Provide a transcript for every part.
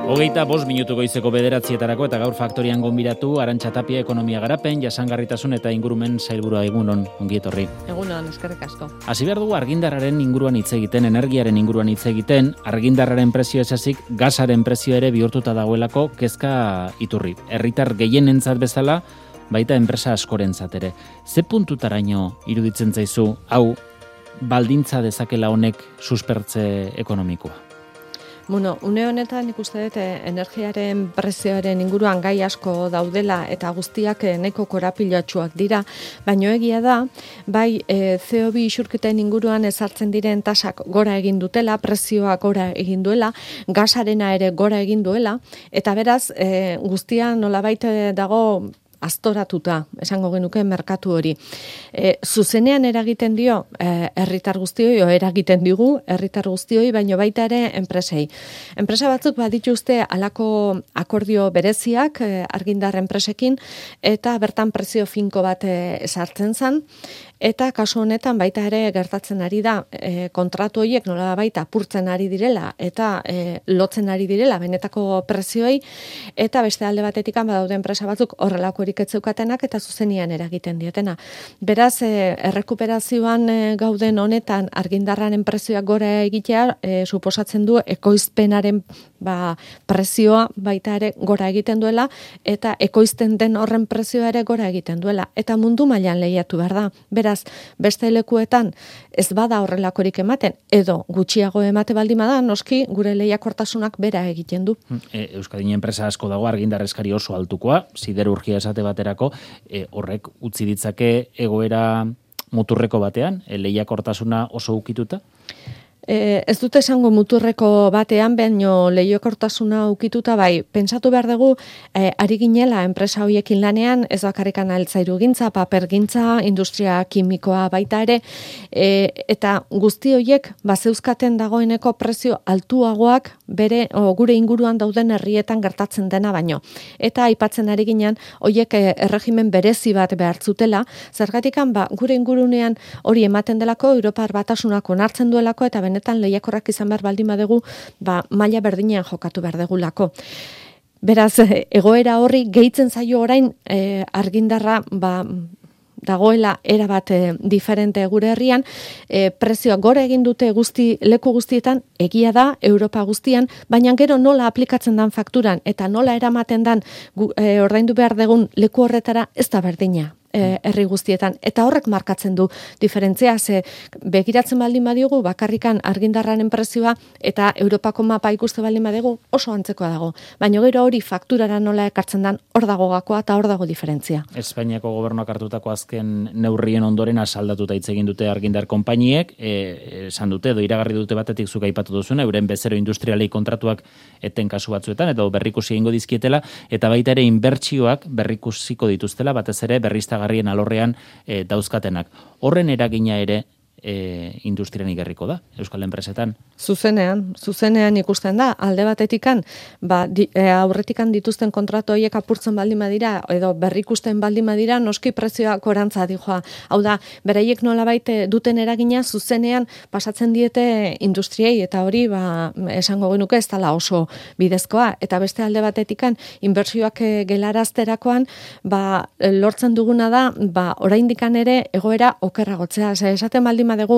5:05 goizeko 9:00 eta gaur Faktorian gonbidatu Arantxa Tapia ekonomia garapen, jasangarritasun eta ingurumen sailburua. Egunon, ongi etorri. Egunon, eskerrik asko. Hasi behar dugu argindarraren inguruan hitz egiten, energiaren inguruan hitz egiten, argindarraren prezio esazik gasaren prezio ere bihurtuta dagoelako kezka iturri. Herritar gehienentzat bezala, baita enpresa askorentzat ere. Ze puntutaraino iruditzen zaizu hau baldintza dezakela honek suspertze ekonomikoa? Bueno, une honetan ikuste dut energiaren prezioaren inguruan gai asko daudela eta guztiak nahiko korapilatsuak dira, baina egia da, bai CO2 isurketen inguruan ezartzen diren tasak gora egin dutela, prezioak gora egin duela, gasarena ere gora egin duela, eta beraz guztia nolabait dago aztoratuta, esango genuke merkatu hori. Zuzenean eragiten dio herritar guztioi, eragiten digu herritar guztioi, baino baita ere enpresei. Enpresa batzuk badituzte halako akordio bereziak argindar enpresekin, eta bertan prezio finko bat ezartzen zen, eta kasu honetan baita ere gertatzen ari da kontratu horiek nola baita apurtzen ari direla eta lotzen ari direla benetako prezioei, eta beste alde batetik badaude enpresa batzuk horrelako etzeukatenak eta zuzenian eragiten dietena. Beraz, errekuperazioan gauden honetan argindarraren prezioak gora egitea suposatzen du ekoizpenaren prezioa baita ere gora egiten duela, eta ekoizten den horren prezioa ere gora egiten duela. Eta mundu mailan lehiatu behar da. Beraz, beste lekuetan ez bada horrelakorik ematen, edo gutxiago emate baldin bada, noski gure lehiakortasunak bera egiten du. Euskadin enpresa asko dago argindar eskari oso altukoa, siderurgia esate baterako, horrek utzi ditzake egoera muturreko batean, lehiakortasuna oso ukituta? Ez dute esango muturreko batean, baino lehiakortasuna ukituta bai. Pentsatu behar dugu, ari ginela enpresa horiekin lanean, ez bakarrikan altzairugintza, papergintza, industria kimikoa baita ere, eta guzti horiek bazeuzkaten dagoeneko prezio altuagoak bere gure inguruan dauden herrietan gertatzen dena baino. Eta aipatzen ari ginen, horiek erregimen berezi bat behartzutela, zergatikan gure ingurunean hori ematen delako, Europar Batasunak onartzen duelako, eta benetan lehiakorrak izan behar baldin badegu, maila berdinean jokatu behar degulako. Beraz, egoera horri gehitzen zaio orain argindarra dagoela erabat diferente gure herrian, prezioak gora egin dute leku guztietan, egia da, Europa guztian, baina gero nola aplikatzen dan fakturan eta nola eramaten dan ordaindu behar degun leku horretara ez da berdina. Herri guztietan, eta horrek markatzen du diferentzia, ze begiratzen baldin badiogu bakarrikan argindarraren prezioa eta Europako mapa ikuste baldin badegu oso antzekoa dago, baina gero hori fakturara nola ekartzen dan hor dago gakoa eta hor dago diferentzia. Espainiako gobernuak hartutako azken neurrien ondoren asaldatuta hitz egin dute argindar konpainiek, esan dute edo iragarri dute batetik zuk aipatu duzuna, euren bezero industrialei kontratuak eten kasu batzuetan edo berrikusi egingo dizkietela, eta baita ere inbertsioak berrikusiko dituztela, batez ere berriztagarrien alorrean dauzkatenak. Horren eragina ere industrian igarriko da, Euskal enpresetan? Zuzenean ikusten da, alde batetikan, aurretikan dituzten kontratu horiek apurtzen baldin badira, edo berrikusten baldin badira, noski prezioak gorantza dijoa. Hau da, beraiek nolabait duten eragina zuzenean pasatzen diete industriei, eta hori esango genuke ez dela oso bidezkoa, eta beste alde batetikan, inbertsioak gelarazterakoan, lortzen duguna da, oraindikan ere egoera okerragotzea. Esaten baldin badegu,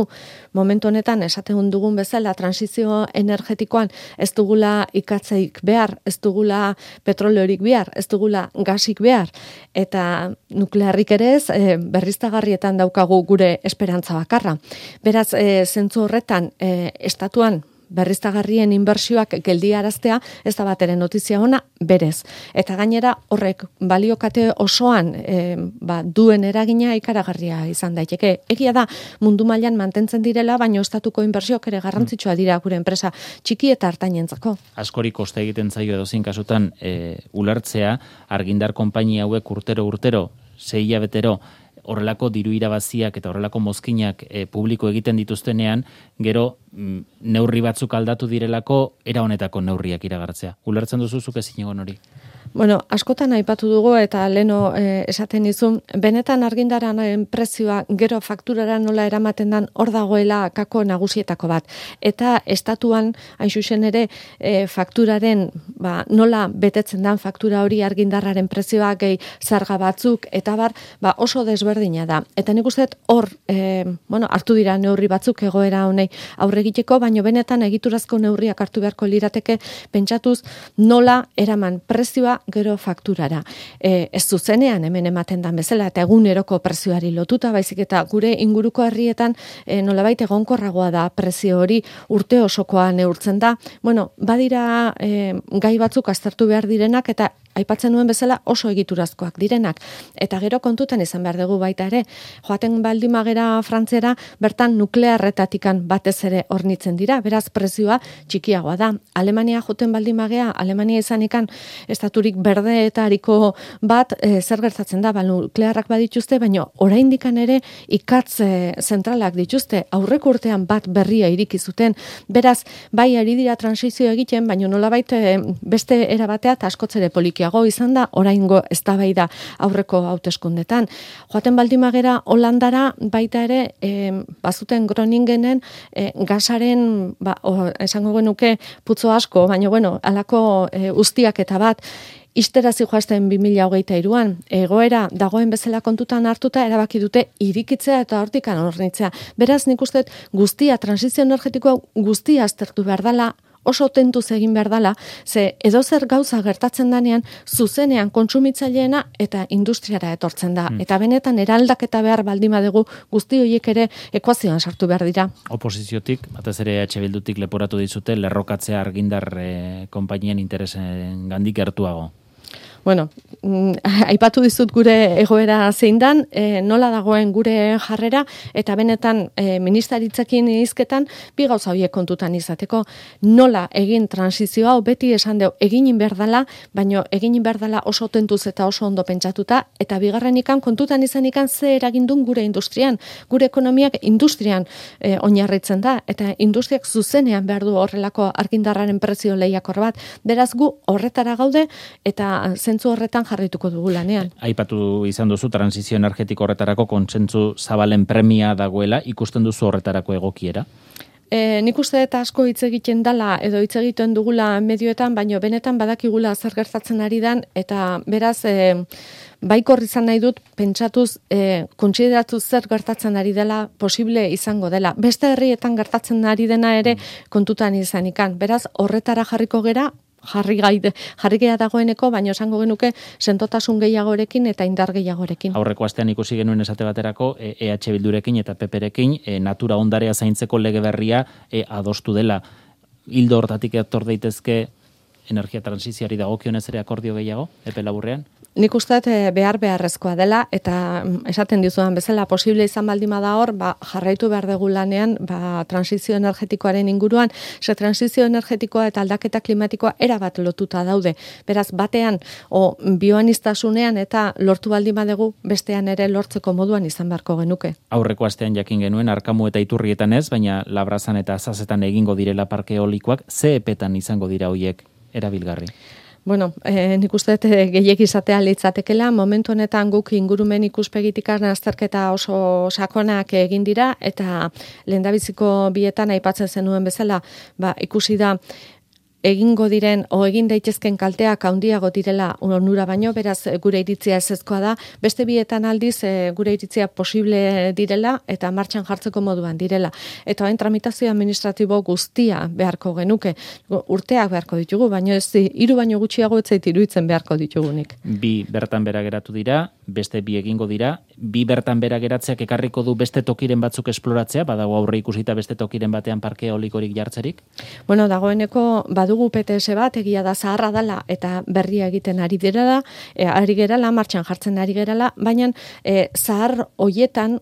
momentu honetan esaten dugun bezala transizio energetikoan ez dugula ikatzeik behar, ez dugula petroleorik behar, ez dugula gasik behar, eta nuklearrik ere ez, berriztagarrietan daukagu gure esperantza bakarra. Beraz, zentzu horretan, estatuan berriztagarrien inbertsioak geldiaraztea ez da bat ere notizia ona berez. Eta gainera horrek baliokate osoan duen eragina ikaragarria izan daiteke. Egia da mundu mailan mantentzen direla, baina estatuko inbertsioak ere garrantzitsua dira gure enpresa txiki eta hartainentzako. Askori koste egiten zaio edozein kasutan ulertzea argindar konpainia hauek urtero 6 hilabetero horrelako diru irabaziak eta horrelako mozkinak publiko egiten dituztenean, gero neurri batzuk aldatu direlako era honetako neurriak iragartzea. Ulertzen duzu zuk ezin egon hori? Bueno, askotan aipatu dugu eta leno esaten dizun, benetan argindarraren prezioa gero fakturara nola eramaten dan hor dagoela kako nagusietako bat. Eta estatuan, hain zuzen ere, fakturaren nola betetzen dan faktura hori argindarraren prezioa gehi zarga batzuk eta oso desberdina da. Eta nik uste hor hartu dira neurri batzuk egoera honei aurre egiteko, baino benetan egiturazko neurriak hartu beharko lirateke pentsatuz nola eraman prezioa gero fakturara. Ez zuzenean hemen ematen dan bezala eta eguneroko prezioari lotuta, baizik eta gure inguruko herrietan nolabait egonkorragoa da prezio hori urte osokoa neurtzen da. Bueno, badira gai batzuk aztertu behar direnak eta aipatzen nuen bezala oso egiturazkoak direnak. Eta gero kontutan izan behar dugu baita ere, joaten baldin magera Frantziara, bertan nuklearretatikan batez ere hornitzen dira, beraz prezioa txikiagoa da. Alemania joten baldin magea, Alemania izanikan estaturik berdeetariko bat zer gertatzen da, nuklearrak badituzte, baina oraindikan ere ikatz zentralak dituzte, aurreko urtean bat berria iriki zuten. Beraz, bai ari dira transizio egiten, baina nolabait beste erabatea eta askotzere polikiago izan da oraingo eztabaida aurreko hauteskundetan. Joaten baldin magera Holandara baita ere bazuten Groningenen gasaren esango genuke putzo asko, baina halako uztiak eta bat Ixterazi joazten 2023an, egoera dagoen bezala kontutan hartuta erabaki dute irikitzea eta hortikan hornitzea. Beraz, nik uste guztia, transizio energetikoa guztia aztertu behar dela, oso tentuz egin behar dela, ze edozer gauza gertatzen danean, zuzenean kontsumitzaileena eta industriara etortzen da. Eta benetan eraldaketa behar baldin badegu guzti horiek ere ekuazioan sartu behar dira. Oposiziotik, batez ere EH Bildutik leporatu dizute, lerrokatzea argindar konpainien interesen gandik gertuago. Bueno, aipatu dizut gure egoera zein dan, nola dagoen gure jarrera, eta benetan ministeritzekin hizketan bi gauza horiek kontutan izateko. Nola egin transizio hau, beti esan deu, egin behar dela, baino egin behar dela oso tentuz eta oso ondo pentsatuta, eta bigarrenikan kontutan izanikan ze eragindun gure industrian. Gure ekonomiak industrian oinarritzen da, eta industriak zuzenean behar du horrelako argindarraren prezio lehiakor bat. Beraz gu horretara gaude, eta zentzu horretan jarraituko dugu lanean. Aipatu izan duzu transizio energetiko horretarako kontsentsu zabalen premia dagoela, ikusten duzu horretarako egokiera? Nik uste eta asko hitz egiten dala edo hitz egiten dugula medioetan, baino benetan badakigula zer gertatzen ari dan, eta beraz baikor izan nahi dut pentsatuz, kontsideratuz zer gertatzen ari dela posible izango dela. Beste herrietan gertatzen ari dena ere kontutan izanikan. Beraz, horretara jarriko gera, jarri gea dagoeneko, baina esango genuke sentotasun gehiagorekin eta indar gehiagorekin. Aurreko astean ikusi genuen esate baterako EH Bildurekin eta PPrekin natura ondarea zaintzeko lege berria adostu dela. Hildo hortatik etor daitezke energia transizioari dagokionez ere akordio gehiago, epe laburrean? Nik usteet beharrezkoa dela, eta esaten dizudan bezala posible izan baldima da hor, jarraitu behar dugu lanean transizio energetikoaren inguruan, ze transizio energetikoa eta aldaketa klimatikoa erabat lotuta daude. Beraz, batean, bioaniztasunean eta lortu baldima dugu, bestean ere lortzeko moduan izan beharko genuke. Aurreko astean jakin genuen, Arkamu eta Iturrietan ez, baina Labrazan eta Azazetan egingo direla parke eolikoak, ze epetan izango dira hoiek erabilgarri? Bueno, nik uste gehiek izatea litzatekela, momentu honetan guk ingurumen ikuspegitikan azterketa oso sakonak egin dira, eta lehendabiziko bietan aipatzen zenuen bezala, ikusi da egingo diren egin daitezken kalteak handiago direla onura baino, beraz gure iritzia ezezkoa da, beste bietan aldiz gure iritzia posible direla eta martxan jartzeko moduan direla. Eta hain tramitazio administratibo guztia beharko genuke, urteak beharko ditugu, baino ez 3 baino gutxiago ez zait iruditzen beharko ditugunik. 2 bertan bera geratu dira, beste 2 egingo dira, 2 bertan bera geratzeak ekarriko du beste tokiren batzuk esploratzea, badago aurre ikusita beste tokiren batean parke eolikorik jartzerik? Bueno, dagoeneko badugu PTS bat, egia da zaharra dela eta berria egiten ari gerala, martxan jartzen ari gerala, baina zahar hoietan,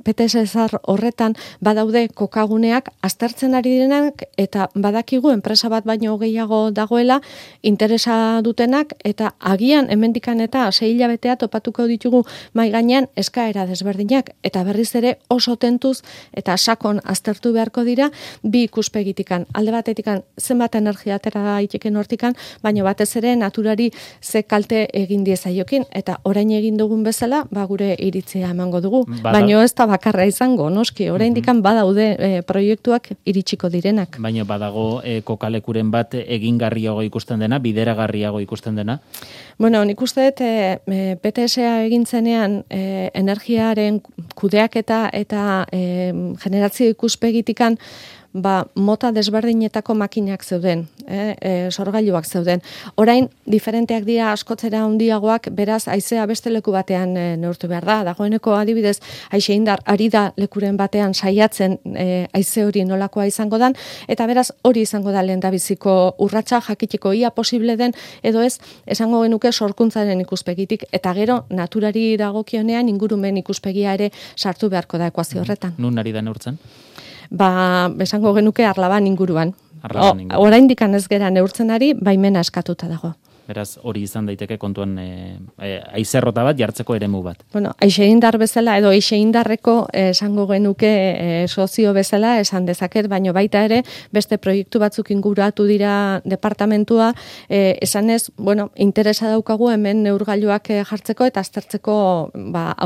PTS zahar horretan badaude kokaguneak aztertzen ari direnak eta badakigu enpresa bat baino gehiago dagoela interesa dutenak eta agian hemendikan eta 6 hilabete hilabetea topatuko ditugu mai gainean eskaera desberdinak eta berriz ere oso tentuz eta sakon aztertu beharko dira bi ikuspegitikan. Alde batetikan zenbat energia atera daiteken hortikan, baina batez ere naturari ze kalte egin diezaiokin eta orain egin dugun bezala, gure iritzia emango dugu. Baina ez da bakarra izango, noski, oraindikan badaude proiektuak iritsiko direnak. Baina badago kokalekuren bat egingarriago ikusten dena, bideragarriago ikusten dena? Bueno, nik uste dut PTS-a egin zenean energiaren kudeaketa eta generazio ikuspegitikan mota desberdinetako makinak zeuden, sorgailuak zeuden. Orain, diferenteak dira askotzera handiagoak, beraz, haizea beste leku batean neurtu behar da. Dagoeneko adibidez, haize indar ari da lekuren batean saiatzen haize hori nolakoa izango dan, eta beraz, hori izango da lehendabiziko urratsa jakiteko ia posible den, edo ez, esango genuke sorkuntzaren ikuspegitik, eta gero, naturari dagokionean ingurumen ikuspegia ere sartu beharko da ekuazio horretan. Nun ari da neurtzen? Esango genuke Arlaban inguruan. Oraindik ez gera neurtzen ari, baimena eskatuta dago. Beraz, hori izan daiteke kontuan haizerrota bat jartzeko eremu bat. Bueno, aixeindar bezala edo aixeindarreko esango genuke sozio bezala esan dezaket, baino baita ere beste proiektu batzuk inguratu dira departamentua, esanez, bueno, interesa daukagu hemen neurgailuak jartzeko eta aztertzeko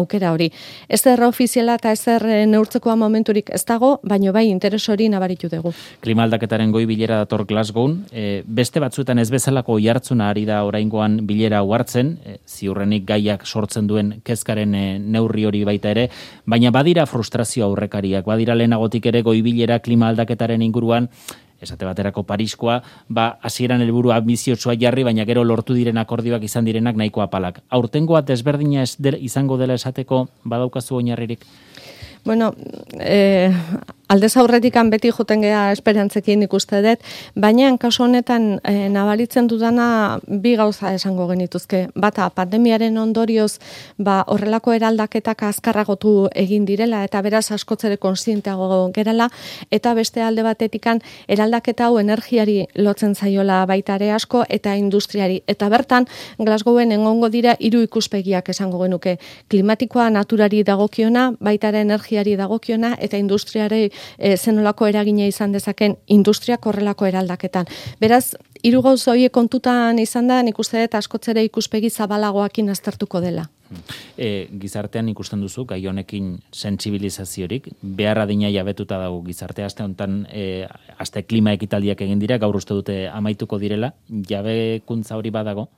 aukera hori. Ez erra ofiziala eta ez neurtzekoa momenturik ez dago, baino bai interes hori nabaritu dugu. Klima aldaketaren goi bilera dator Glasgown, beste batzuetan ez bezalako oihartzuna ari da oraingoan bilera hartzen, ziurrenik gaiak sortzen duen kezkaren neurri hori baita ere, baina badira frustrazio aurrekariak, badira lehenagotik ere goi bilera klima aldaketaren inguruan, esate baterako Pariskoa, hasieran helburu anbiziotsua jarri, baina gero lortu diren akordioak izan direnak nahiko apalak. Aurtengoa desberdina izango dela esateko badaukazu oinarririk? Bueno, aldez aurretikan beti joten gea esperantzekin ikuste dut, baina kasu honetan nabaritzen dudana bi gauza esango genituzke. Bata, pandemiaren ondorioz horrelako eraldaketak azkarragotu egin direla eta beraz askotzere kontzienteago gerala, eta beste alde batetikan eraldaketa hau energiari lotzen zaiola baita ere asko eta industriari. Eta bertan, Glasgowen egongo dira 3 ikuspegiak esango genuke. Klimatikoa naturari dagokiona, baita ere energiari dagokiona eta industriari zenolako eragina izan dezaken industriak horrelako eraldaketan. Beraz, 3 gauza horiek kontutan izan da, nik uste dut askotzere ikuspegi zabalagoakin aztertuko dela. Gizartean ikusten duzu, gai honekin sentsibilizaziorik, behar adina jabetuta dago gizartea, aste honetan aste klima ekitaldiak egin dira, gaur uste dute amaituko direla, jabekuntza hori badago?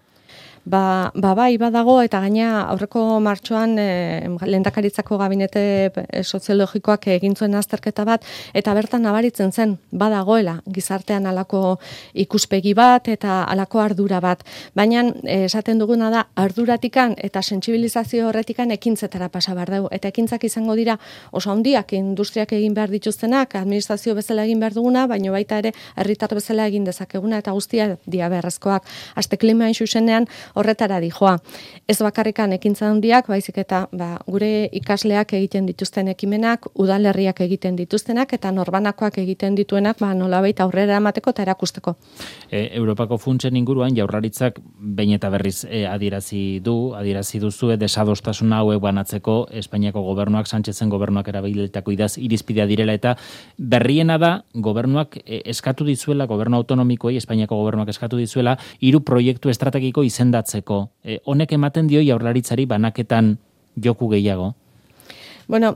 Bai badago, eta gaina aurreko martxoan lehendakaritzako gabinete soziologikoak egin zuen azterketa bat, eta bertan nabaritzen zen badagoela gizartean halako ikuspegi bat eta halako ardura bat. Baina esaten duguna da arduratikan eta sentsibilizazio horretikan ekintzetara pasa behar dugu. Eta ekintzak izango dira oso handiak industriak egin behar dituztenak, administrazio bezala egin behar duguna, baina baita ere herritar bezala egin dezakeguna eta guztia dia beharrezkoak. Aste klima zuzenean horretara dijoa. Ez bakarrikan ekintza handiak, baizik eta gure ikasleak egiten dituzten ekimenak, udalerriak egiten dituztenak eta norbanakoak egiten dituenak nolabait aurrera emateko eta erakusteko. Europako funtsen inguruan Jaurlaritzak behin eta berriz adierazi duzue desadostasuna hauek banatzeko Espainiako gobernuak, Sánchezen gobernuak erabilitako irizpidea direla, eta berriena da gobernuak eskatu dizuela, gobernu autonomikoei, Espainiako gobernuak eskatu dizuela 3 proiektu estrategiko izendatzeko. Honek ematen dio Jaurlaritzari banaketan joku gehiago? Bueno,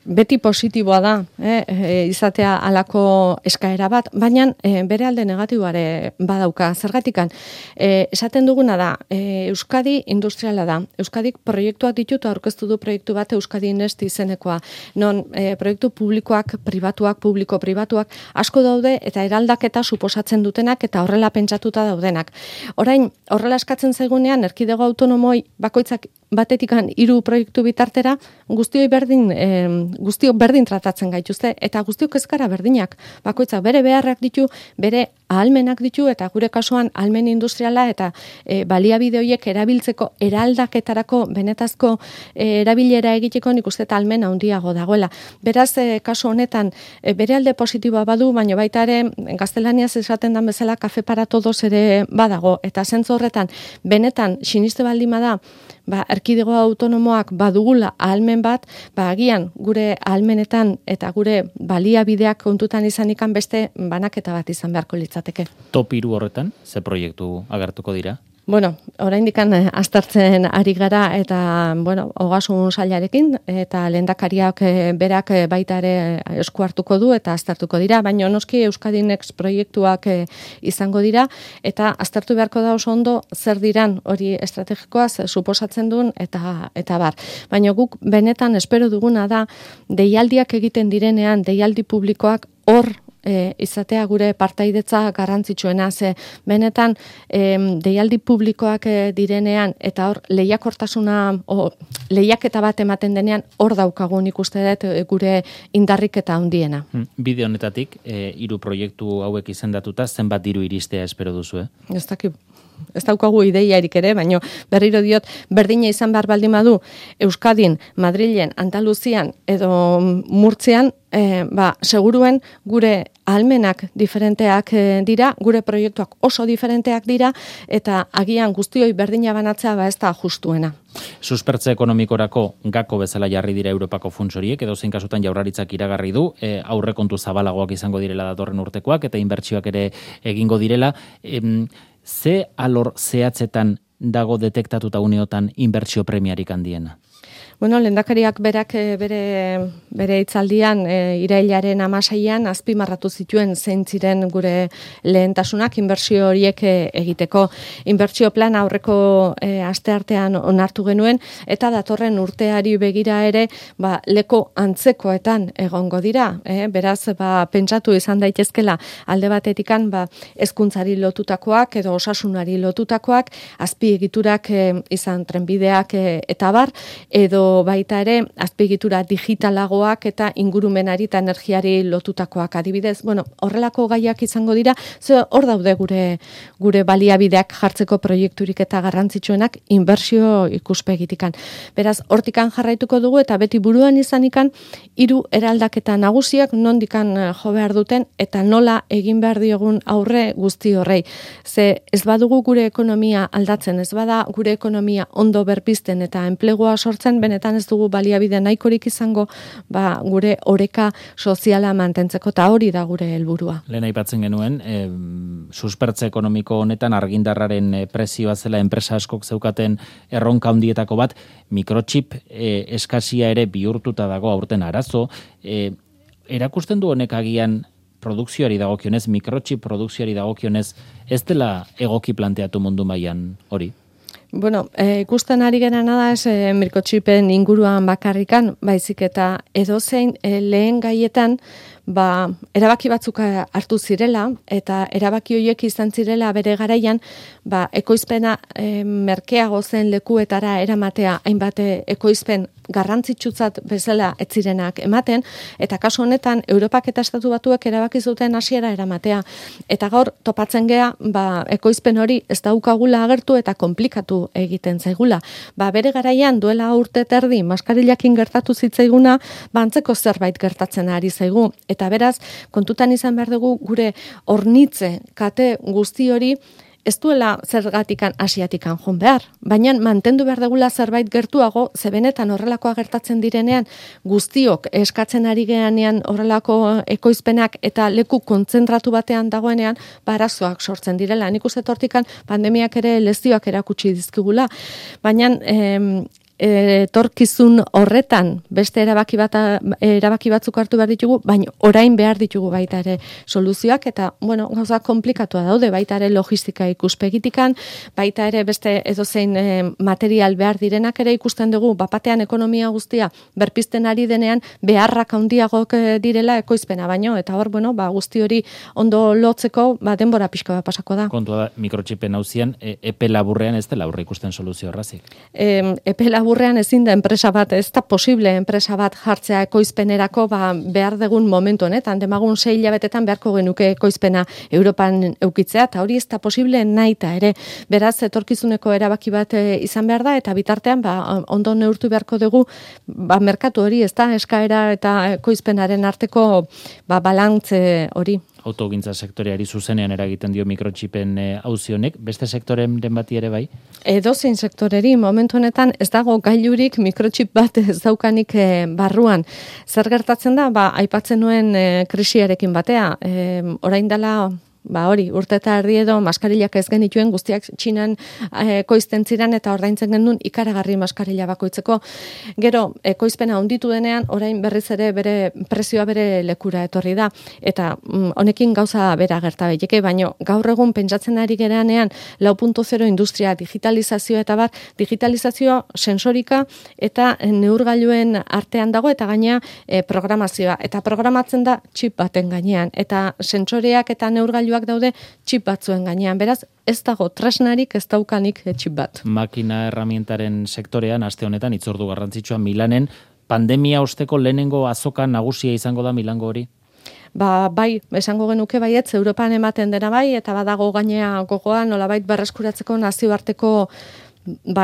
beti positiboa da, izatea alako eskaera bat, baina bere alde negatiboare badauka. Zergatikan, esaten duguna da, Euskadi industriala da. Euskadik proiektuak ditut, aurkeztu du proiektu bat Euskadi Next izenekoa. Non proiektu publikoak, pribatuak, publiko-pribatuak asko daude eta eraldaketa suposatzen dutenak eta horrela pentsatuta daudenak. Orain, horrela eskatzen zaigunean, erkidego autonomoi bakoitzak batetikan 3 proiektu bitartera, guztiok berdin tratatzen gaituzte, eta guztiok ez gara berdinak. Bakoitzak bere beharrak ditu, bere ahalmenak ditu, eta gure kasuan ahalmen industriala eta baliabide horiek erabiltzeko eraldaketarako benetazko erabilera egiteko nik uste eta ahalmen handiago dagoela. Beraz, kasu honetan, bere alde positiboa badu, baina baita ere gaztelaniaz esaten dan bezala kafe para todos ere badago, eta zentzu horretan, benetan siniste baldin bada erkidego autonomoak badugula ahalmen bat, agian gure ahalmenetan eta gure baliabideak kontutan izanikan beste banaketa bat izan beharko litzateke. Top 3 horretan, ze proiektu agertuko dira? Bueno, oraindikan aztertzen ari gara eta, ogasun sailarekin eta lehendakariak berak baita ere esku hartuko du eta aztertuko dira, baina noski Euskadi Next proiektuak izango dira eta aztertu beharko da oso ondo zer diran hori estrategikoaz suposatzen duen eta bar. Baina guk benetan espero duguna da deialdiak egiten direnean, deialdi publikoak hor izatea gure partaidetza garrantzitsuena, ze benetan deialdi publikoak direnean eta hor lehiaketa bat ematen denean hor daukagun ikuste dut gure indarrik eta handiena. Bide honetatik, 3 proiektu hauek izendatuta, zenbat diru iristea espero duzu, Ez daukagu ideiarik ere, baina berriro diot, berdina izan behar baldin badu Euskadin, Madrilen, Andaluzian edo Murtzian, seguruen gure ahalmenak diferenteak dira, gure proiektuak oso diferenteak dira, eta agian guztioi berdina banatzea ez da justuena. Suspertze ekonomikorako gako bezala jarri dira Europako funts horiek, edo zein kasutan Jaurlaritzak iragarri du, aurrekontu zabalagoak izango direla datorren urtekoak, eta inbertsioak ere egingo direla. Ze alor zehatzetan dago detektatuta uneotan inbertsio premiarik handiena? Lehendakariak berak bere hitzaldian irailaren 16an azpimarratu zituen zein ziren gure lehentasunak inbertsio horiek egiteko. Inbertsio plan aurreko asteartean onartu genuen eta datorren urteari begira ere leko antzekoetan egongo dira. Beraz, pentsatu izan daitezkela alde batetikan hezkuntzari lotutakoak edo osasunari lotutakoak, azpiegiturak izan trenbideak eta bar, edo baita ere azpiegitura digitalagoak eta ingurumenari eta energiari lotutakoak adibidez. Horrelako gaiak izango dira, ze hor daude gure baliabideak jartzeko proiekturik eta garrantzitsuenak inbertsio ikuspegitikan. Beraz, hortikan jarraituko dugu eta beti buruan izanikan 3 eraldaketa nagusiak nondikan jo behar duten eta nola egin behar diogun aurre guzti horrei. Ze ez badugu gure ekonomia aldatzen, ez bada gure ekonomia ondo berpizten eta enplegua sortzen, benetan ez dugu baliabide nahikorik izango gure oreka soziala mantentzeko eta hori da gure helburua. Lehen aipatzen genuen, suspertze ekonomiko honetan argindarraren prezioa zela enpresa askok zeukaten erronka handietako bat, mikrochip eskasia ere bihurtuta dago aurten arazo. Erakusten du honek agian produkzioari dagokionez, mikrochip produkzioari dagokionez, ez dela egoki planteatu mundu mailan hori? Ikusten ari gerana da ez mikrochipen inguruan bakarrikan, baizik eta edozein lehen gaietan erabaki batzuk hartu zirela eta erabaki horiek izan zirela bere garaian ekoizpena merkeago zen lekuetara eramatea hainbat ekoizpen garrantzitsutzat bezala ez zirenak ematen eta kasu honetan Europak eta Estatu Batuek erabaki zuten hasiera eramatea eta gaur topatzen gea ekoizpen hori ez daukagula agertu eta konplikatu egiten zaigula. Bere garaian duela urte terdi maskarilakin gertatu zitzaiguna antzeko zerbait gertatzen ari zaigu eta beraz kontutan izan behar dugu gure hornitze kate guzti hori ez duela zergatikan asiatikan joan behar, baina mantendu behar dugula zerbait gertuago, ze benetan horrelakoa gertatzen direnean guztiok eskatzen ari geanean horrelako ekoizpenak eta leku kontzentratu batean dagoenean arazoak sortzen direla. Nik uste hortikan pandemiak ere lezioak erakutsi dizkigula, baina etorkizun horretan beste erabaki batzuk hartu behar ditugu, baina orain behar ditugu baita ere soluzioak eta gauza komplikatua daude, baita ere logistika ikuspegitikan, baita ere beste edozein material behar direnak ere ikusten dugu, bapatean ekonomia guztia berpizten ari denean beharrak handiagok direla ekoizpena baino, eta hor, guzti hori ondo lotzeko denbora pixka bat pasako da. Kontua da, mikrochipen hauzian, epe laburrean ez dela aurre ikusten soluzio horrazik. Epe laburrean ezin da enpresa bat, ez da posible enpresa bat jartzea ekoizpenerako behar dugun momentu honetan, demagun 6 hilabetetan beharko genuke ekoizpena Europan eukitzea, eta hori ez da posible naita ere. Beraz, etorkizuneko erabaki bat izan behar da, eta bitartean ondo neurtu beharko dugu merkatu hori, ez da, eskaera eta ekoizpenaren arteko balantze hori. autogintza sektoreari zuzenean eragiten dio mikrotxipen auzi honek, beste sektoren bati ere bai? Edozein sektoreri momentu honetan ez dago gailurik mikrotxip bat ez daukanik barruan. Zer gertatzen da? Aipatzen nuen krisiarekin batea. Orain dela urte eta erdi edo maskarillak ez genituen guztiak Txinan ekoizten ziren eta ordaintzen genuen ikaragarri maskarilla bakoitzeko. Gero, ekoizpena handitu denean, orain berriz ere bere prezioa bere lekura etorri da. Eta honekin gauza bera gerta daiteke, baina gaur egun pentsatzen ari gereanean 4.0 industria, digitalizazioa eta digitalizazio sensorika eta neurgailuen artean dago eta gaina programazioa. Eta programatzen da txip baten gainean. Eta sensoreak eta neurgailuak daude txip batzuen gainean. Beraz, ez dago tresnarik, ez daukanik txip bat. Makina erramientaren sektorean, aste honetan, itzordu garrantzitsua Milanen, pandemia osteko lehenengo azoka nagusia izango da Milango hori? Bai, esango genuke baietz, Europan ematen dena bai, eta badago gainea gogoa, nolabait berreskuratzeko nazioarteko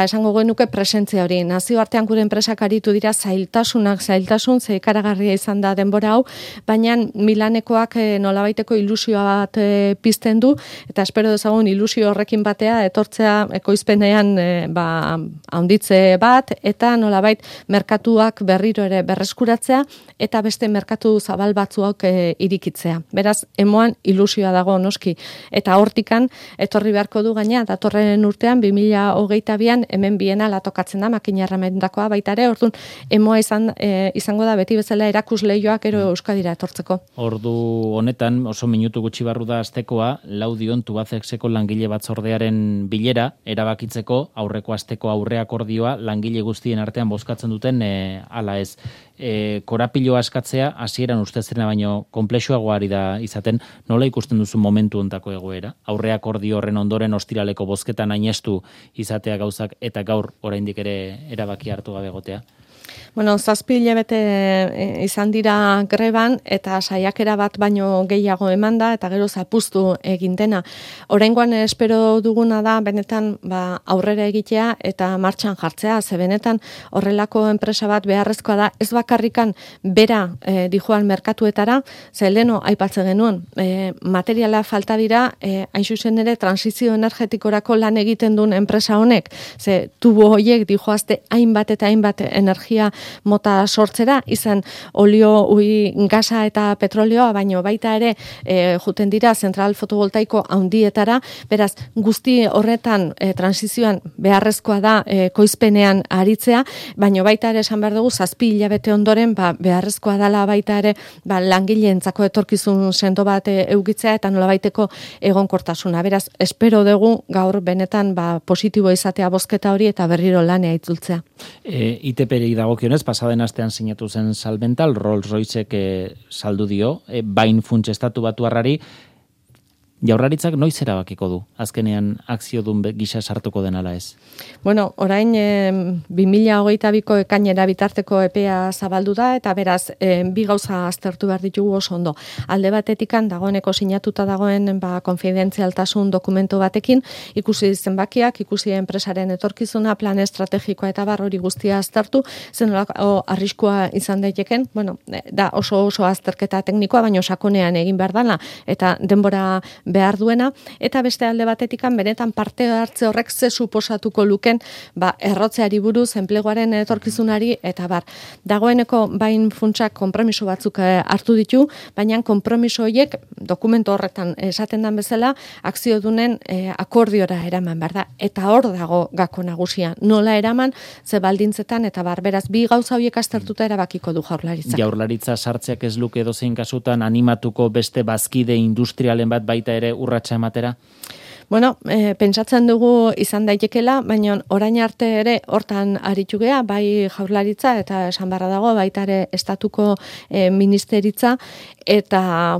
esango genuke presentzia hori. Nazioartean gure enpresak aritu dira zailtasun, ze ikaragarria izan da denbora hau, baina Milanekoak nolabaiteko ilusioa bat pizten du, eta espero dezagun ilusio horrekin batea, etortzea ekoizpenean handitze bat, eta nolabait merkatuak berriro ere berreskuratzea, eta beste merkatu zabal batzuak irikitzea. Beraz, emoan ilusioa dago noski. Eta hortikan, etorri beharko du gaina, datorren urtean, 2022an hemen biena latokatzen da, makina erramendakoa baita ere, orduan, emoa izango da beti bezala erakusleioak ero Euskadira etortzeko. Ordu honetan, oso minutu gutxi barru da astekoa, Laudion Tubacexeko langile batzordearen bilera, erabakitzeko aurreko asteko aurreakordioa langile guztien artean bozkatzen duten ala ez. Korapiloa eskatzea, hasieran ustezena baino konplexuagoari da izaten, nola ikusten duzu momentu hontako egoera? Aurreakordio horren ondoren ostiraleko bozketan ainestu izatea gauzak eta gaur oraindik ere erabaki hartu gabe egotea? 7 hilabete izan dira greban eta saiakera bat baino gehiago emanda eta gero zapuztu egin dena. Oraingoan espero duguna da benetan aurrera egitea eta martxan jartzea, ze benetan horrelako enpresa bat beharrezkoa da, ez bakarrikan bera dijoan merkatuetara, ze leno aipatzen genuen, materiala falta dira, hain zuzen ere transizio energetikorako lan egiten duen enpresa honek, ze tubo horiek dijoazte hainbat eta hainbat energia mota sortzera, izan olio, gasa eta petrolioa, baino baita ere juten dira zentral fotovoltaiko handietara, beraz guzti horretan transizioan beharrezkoa da koizpenean aritzea, baino baita ere esan behar dugu 7 hilabete ondoren beharrezkoa dela baita ere langileentzako etorkizun sendo bat eukitzea eta nolabaiteko egonkortasuna. Beraz, espero dugu gaur benetan positibo izatea bozketa hori eta berriro lanea itzultzea. ITP-ri dagokionez, pasaden astean sinatu zen Salvental, Rolls-Roycek saldu dio, bain funts estatu batuarrari, Jaurlaritzak noiz erabakiko du? Azkenean akziodun gisa sartuko den ala ez? Orain 2022ko ekainera bitarteko epea zabaldu da eta beraz bi gauza aztertu behar ditugu oso ondo. Alde batetikan dagoeneko sinatuta dagoen konfidentzialtasun dokumento batekin ikusi zenbakiak, ikusi enpresaren etorkizuna, plan estrategikoa eta hori guztia aztertu, zenolako arriskua izan daiteken, da oso azterketa teknikoa, baina sakonean egin behar dela eta denbora behar duena, eta beste alde batetikan benetan parte hartze horrek ze suposatuko luken errotzeari buruz, enpleguaren etorkizunari, eta dagoeneko bain funtsak konpromiso batzuk hartu ditu, baina konpromiso horiek dokumento horretan esaten den bezala, akziodunen akordiora eraman behar da, eta hor dago gako nagusia, nola eraman, ze baldintzetan, eta beraz, bi gauza horiek aztertuta erabakiko du Jaurlaritza. Jaurlaritza sartzeak ez luke edozein kasutan animatuko beste bazkide industrialen bat baita ere urratsa ematera? Pentsatzen dugu izan daitekela, baina orain arte ere hortan aritu gea, bai Jaurlaritza eta esan barra dago, baita ere estatuko ministeritza, eta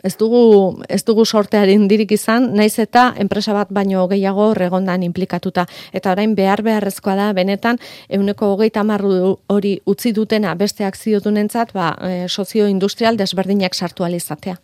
ez dugu sortearen dirik izan, naiz eta enpresa bat baino gehiago regondan implikatuta. Eta orain beharrezkoa da benetan 130 hori utzi dutena beste akziodunentzat sozio-industrial desberdinak sartu alizatea.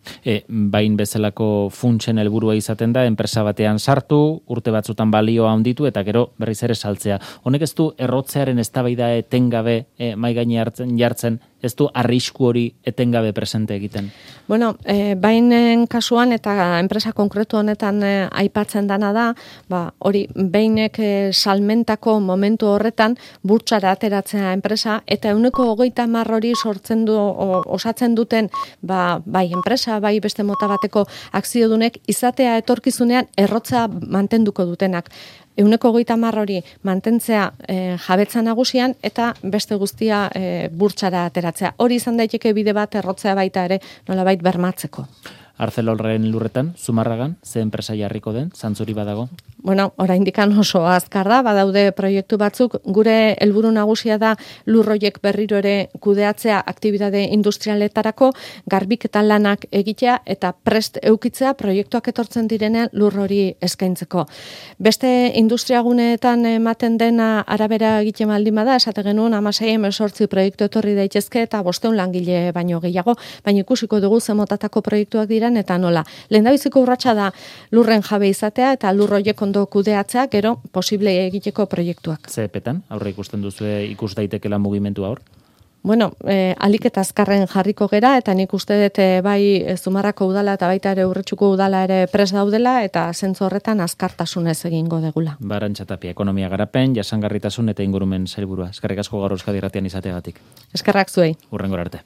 Bain bezalako funtsen helburua izaten da, enpresa batean sartu, urte batzutan balioa handitu eta gero berriz ere saltzea. Honek ez du errotzearen eztabaida etengabe mai gaine jartzen ez du arrisku hori etengabe presente egiten? Bueno, bainen kasuan eta enpresa konkretu honetan aipatzen dana da, hori bainek salmentako momentu horretan burtsara ateratzea enpresa eta 30% hori sortzen du osatzen duten bai enpresa, bai beste mota bateko akziodunek izatea etorkizunean errotza mantenduko dutenak. 30% hori mantentzea jabetza nagusian eta beste guztia burtsara ateratzea. Hori izan daiteke bide bat errotzea baita ere nolabait bermatzeko. Arcelorren lurretan, Zumarragan, ze enpresa jarriko den, zantzuri badago? Bueno, oraindikan oso azkar da, badaude proiektu batzuk, gure helburu nagusia da lurroiek berriro ere kudeatzea aktibitate industrialetarako, garbiketa lanak egitea eta prest eukitzea proiektuak etortzen direnean lur hori eskaintzeko. Beste industriaguneetan ematen dena arabera egiten baldin bada, esate genuen 16-18 proiektu etorri daitezke eta 500 langile baino gehiago, baina ikusiko dugu ze motatako proiektuak diren eta nola. Lehendabiziko urratsa da lurren jabe izatea eta lurroiek ondo kudeatzea, gero posible egiteko proiektuak. Ze epetan, aurre ikusten duzue ikus daitekela mugimendu hor? Bueno, alik eta azkarren jarriko gera, eta nik uste dut bai Zumarrako udala eta baita ere Urretxuko udala ere pres daudela, eta zentzu horretan azkartasunez egingo degula. Arantxa Tapia, ekonomia garapen, jasangarritasun eta ingurumen sailburua. Eskerrik asko gaur Euskadi Irratian izateagatik. Eskerrak zuei. Hurrengora arte.